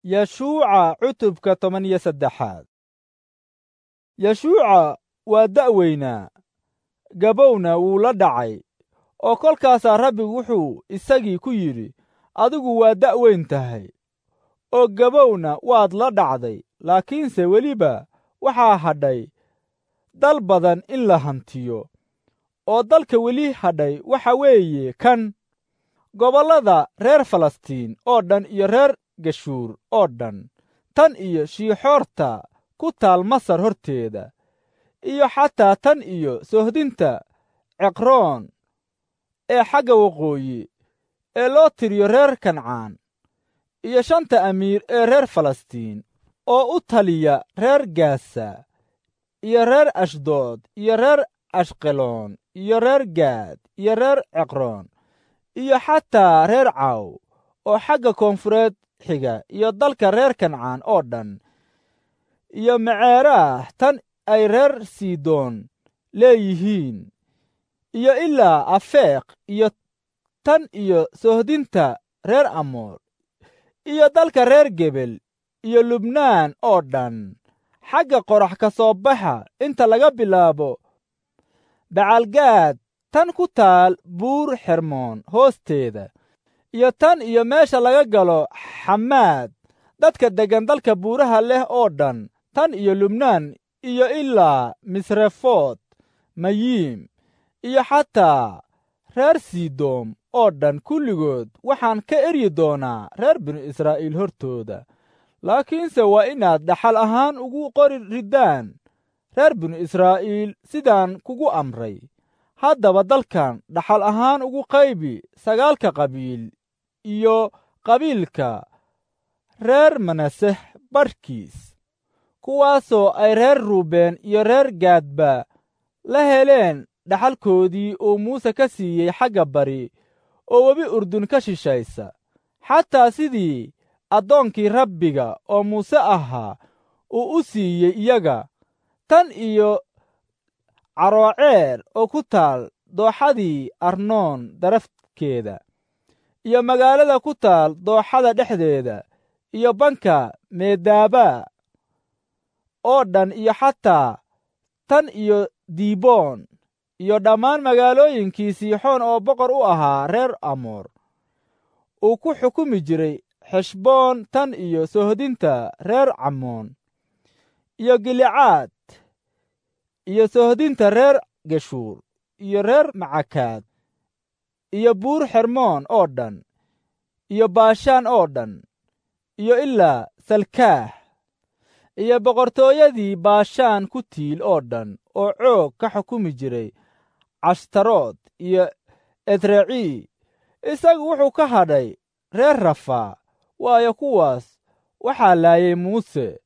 Yeshuuca cutubka 13. Yeshuuca waa da'weynaa, gabowna wuu la dhacay, oo kolkaasaa Rabbigu wuxuu isagii ku yidhi, adigu waa da'weyn tahay, oo gabowna waad la dhacday, laakiinse weliba waxaa hadhay dal badan in la hantiyo, oo dalka weli hadhay waxa weeye kan gobollada reer Falastiin oo dhan iyo reer Geshuur oo dhan, tan iyo Shiixoorta ku taal Masar horteeda, iyo xataa tan iyo soohdinta Ceqroon ee xagga waqooyi ee loo tiriyo reer Kancaan, iyo shanta amiir ee reer Falastiin oo u taliya reer Gaasa iyo reer Ashdood iyo reer Ashqeloon iyo reer Gaad iyo reer Ceqroon iyo xataa reer Caaw oo xagga koonfureed xiga, iyo dalka reer Kancaan oo dhan, iyo Meceeraah tan ay reer Sidoon leeyihiin, iyo ilaa Afeeq iyo tan iyo soohdinta reer Amoor, iyo dalka reer Gebel iyo Lubnaan oo dhan, xagga qorax ka soo baxa inta laga bilaabo Bacalgaad tan ku taal Buur Xermoon hoosteeda, iyo tan iyo meesha laga galo Xamaad, dadka deggan dalka buuraha leh oo dhan, tan iyo Lubnaan iyo ilaa Misrefoot Mayiim, iyo xataa reer Sidoom oo dhan, kulligood waxaan ka eryi doonaa reer binu Israa'iil hortooda. Laakiinse waa inaad dhaxal ahaan ugu qori riddaan reer binu Israa'iil sidaan kugu amray. Haddaba dalkan dhaxal ahaan ugu qaybi 9 qabiil iyo qabiilka reer Manaseh barhkiis, kuwaasoo ay reer Ruubeen iyo reer Gaadba la heleen dhaxalkoodii uu Muuse ka siiyey xagga bari oo webi Urdun ka shishaysa, xataa sidii addoonkii Rabbiga oo Muuse ahaa uu u siiyey iyaga, tan iyo Carooceer oo ku taal dooxadii Arnoon darafkeeda, iyo magaalada ku taal dooxada dhexdeeda, iyo banka Meedaaba oo dhan, iyo xataa tan iyo Diiboon, iyo dhammaan magaalooyinkii Siixoon oo boqor u ahaa reer Amoor, uu ku xukumi jiray Xeshboon tan iyo soohdinta reer Cammoon, iyo Gilicaad, iyo soohdinta reer Geshuur iyo reer Macakaad, iyo Buur Xermoon oo dhan, iyo Baashaan oo dhan, iyo ilaa Salkaah, iyo boqortooyadii Baashaan ku tiil oo dhan oo Coog ka xukumi jiray Cashtarood iyo Edrecii. Isagu wuxuu ka hadhay reer Rafaa, waayo kuwaas waxaa laayay Muuse,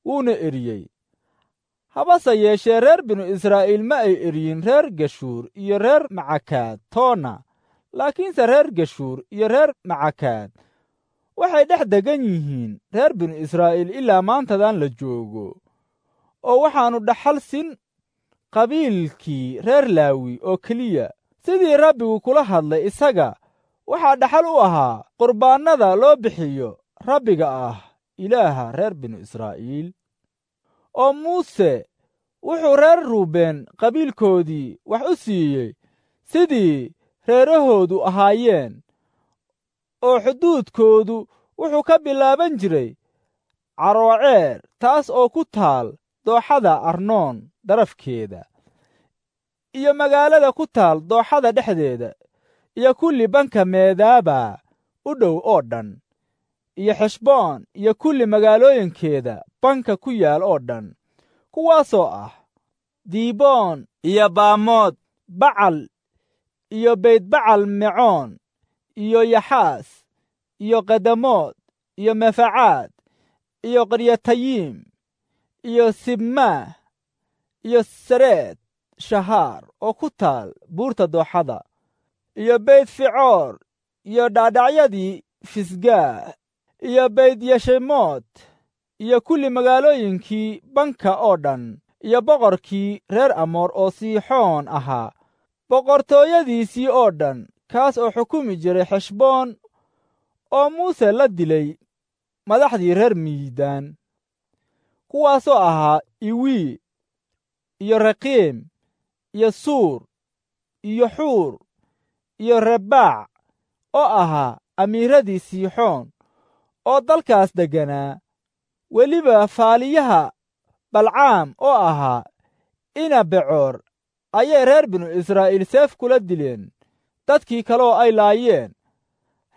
wuuna eriyey. Habase yeeshee reer binu Israa'iil ma ay eryin reer Geshuur iyo reer Macakaad toona, laakiinse reer Geshuur iyo reer Macakaad waxay dhex degan yihiin reer binu Israa'iil ilaa maantadan la joogo. Oo waxaannu dhaxal sin qabiilkii reer Laawi oo keliya, sidii Rabbigu kula hadlay isaga. Waxaa dhaxal u ahaa qurbaannada loo bixiyo Rabbiga ah Ilaaha reer binu Israa'iil. Oo Muuse wuxuu reer Ruubeen qabiilkoodii wax u siiyey sidii reerahoodu ahaayeen, oo xuduudkoodu wuxuu ka bilaaban jiray Carooceer, taas oo ku taal dooxada Arnoon darafkeeda, iyo magaalada ku taal dooxada dhexdeeda, iyo kulli banka Meedaaba u dhow oo dhan, iyo Xeshboon iyo kulli magaalooyinkeeda banka ku yaal oo dhan, kuwaasoo ah Diiboon iyo Baamood Bacal iyo Beytbacal Mecoon iyo Yaxaas iyo Qadamood iyo Mefacaad iyo Qaryatayiim iyo Sibmaah iyo Sareed Shahaar oo ku taal buurta dooxada, iyo Beyt Ficoor iyo dhaadhacyadii Fisgaah iyo Beyt Yeshemood iyo kulli magaalooyinkii banka oo dhan, iyo boqorkii reer Amoor oo Siixoon ahaa boqortooyadiisii oo dhan, kaas oo xukumi jiray Xeshboon oo Muuse la dilay. madaxdii reer Miidaan, kuwaasoo ahaa Iwii iyo Raqiim iyo Suur iyo Xuur iyo Rebaac oo ahaa amiiradii Siixoon oo dalkaas degganaa. Weliba faaliyaha Balcaam oo ahaa ina Becoor ayay reer binu Israa'iil seef kula dileen dadkii kaloo ay laayeen.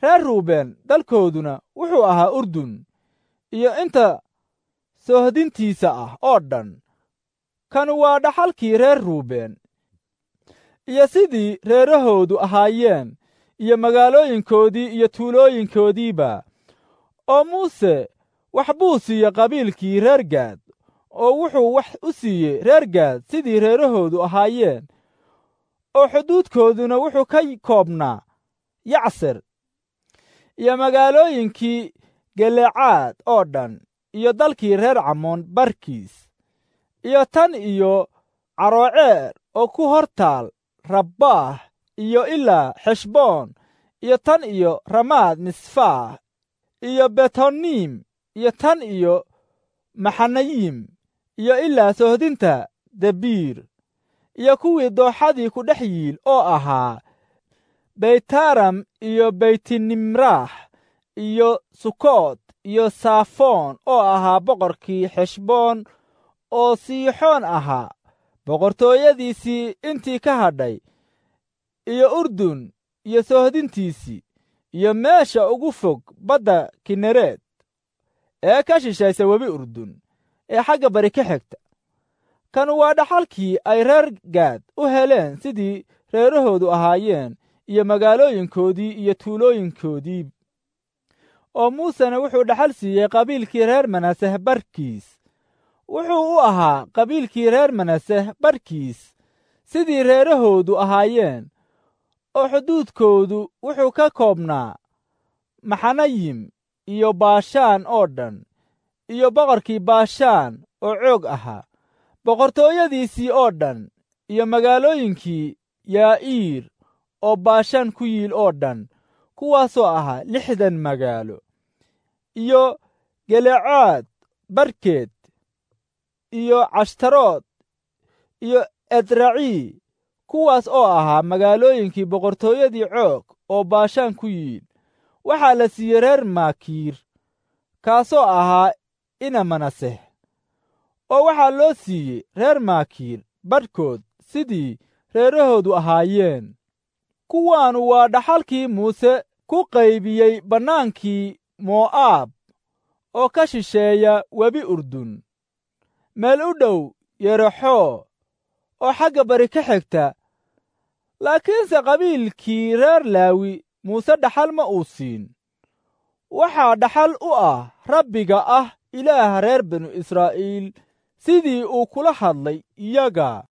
Reer Ruubeen dalkooduna wuxuu ahaa Urdun iyo inta soohdintiisa ah oo dhan. Kanu waa dhaxalkii reer Ruubeen iyo sidii reerahoodu ahaayeen iyo magaalooyinkoodii iyo tuulooyinkoodiiba. Oo Muuse wax buu siiyey qabiilkii reer Gaad, oo wuxuu wax u siiyey reer Gaad sidii reerahoodu ahaayeen, oo xuduudkooduna wuxuu ka koobnaa Yacser iyo magaalooyinkii Gelecaad oo dhan iyo dalkii reer Camoon barkiis, iyo tan iyo Carooceer oo ku hor taal Rabbaah iyo ilaa Xeshboon, iyo tan iyo Ramaad Misfaah iyo Betoniim, iyo tan iyo Maxanayim iyo ilaa soohdinta Debiir, iyo kuwii dooxadii ku dhex yiil oo ahaa Beytaram iyo Beytinimraah iyo Sukoot iyo Saafoon oo ahaa boqorkii Xeshboon oo Siixoon ahaa boqortooyadiisii intii ka hadhay, iyo Urdun iyo soohdintiisii, iyo meesha ugu fog badda Kinereed ee ka shishaysa webi Urdun ee xagga bari ka xigta. Kanu waa dhaxalkii ay reer Gaad u heleen sidii reerahoodu ahaayeen iyo magaalooyinkoodii iyo tuulooyinkoodii. Oo Muusena wuxuu dhaxal siiyey qabiilkii reer Manaseh barkiis. Wuxuu u ahaa qabiilkii reer Manaseh barkiis sidii reerahoodu ahaayeen, oo xuduudkoodu wuxuu ka koobnaa Maxanayim iyo Baashaan oo dhan, iyo boqorkii Baashaan oo Coog ahaa, boqortooyadiisii oo dhan, iyo magaalooyinkii Yaa'iir oo Baashaan ku yiil oo dhan, kuwaasoo ahaa 60 magaalo, iyo Gelecaad barkeed, iyo Cashtarood iyo Edracii, kuwaas oo ahaa magaalooyinkii boqortooyadii Coog oo Baashaan ku yiil. Waxaa la siiyey reer Maakiir, kaasoo ahaa ina Manaseh, oo waxaa loo siiyey reer Maakiir badhkood sidii reerahoodu ahaayeen. Kuwaanu waa dhaxalkii Muuse ku qaybiyey bannaankii Mo'aab oo ka shisheeya webi Urdun, meel u dhow Yerexoo oo xagga bari ka xigta. Laakiinse qabiilkii reer Laawi Muuse dhaxal ma uu siin. Waxaa dhaxal u ah Rabbiga ah Ilaaha reer binu Israa'iil sidii uu kula hadlay iyaga.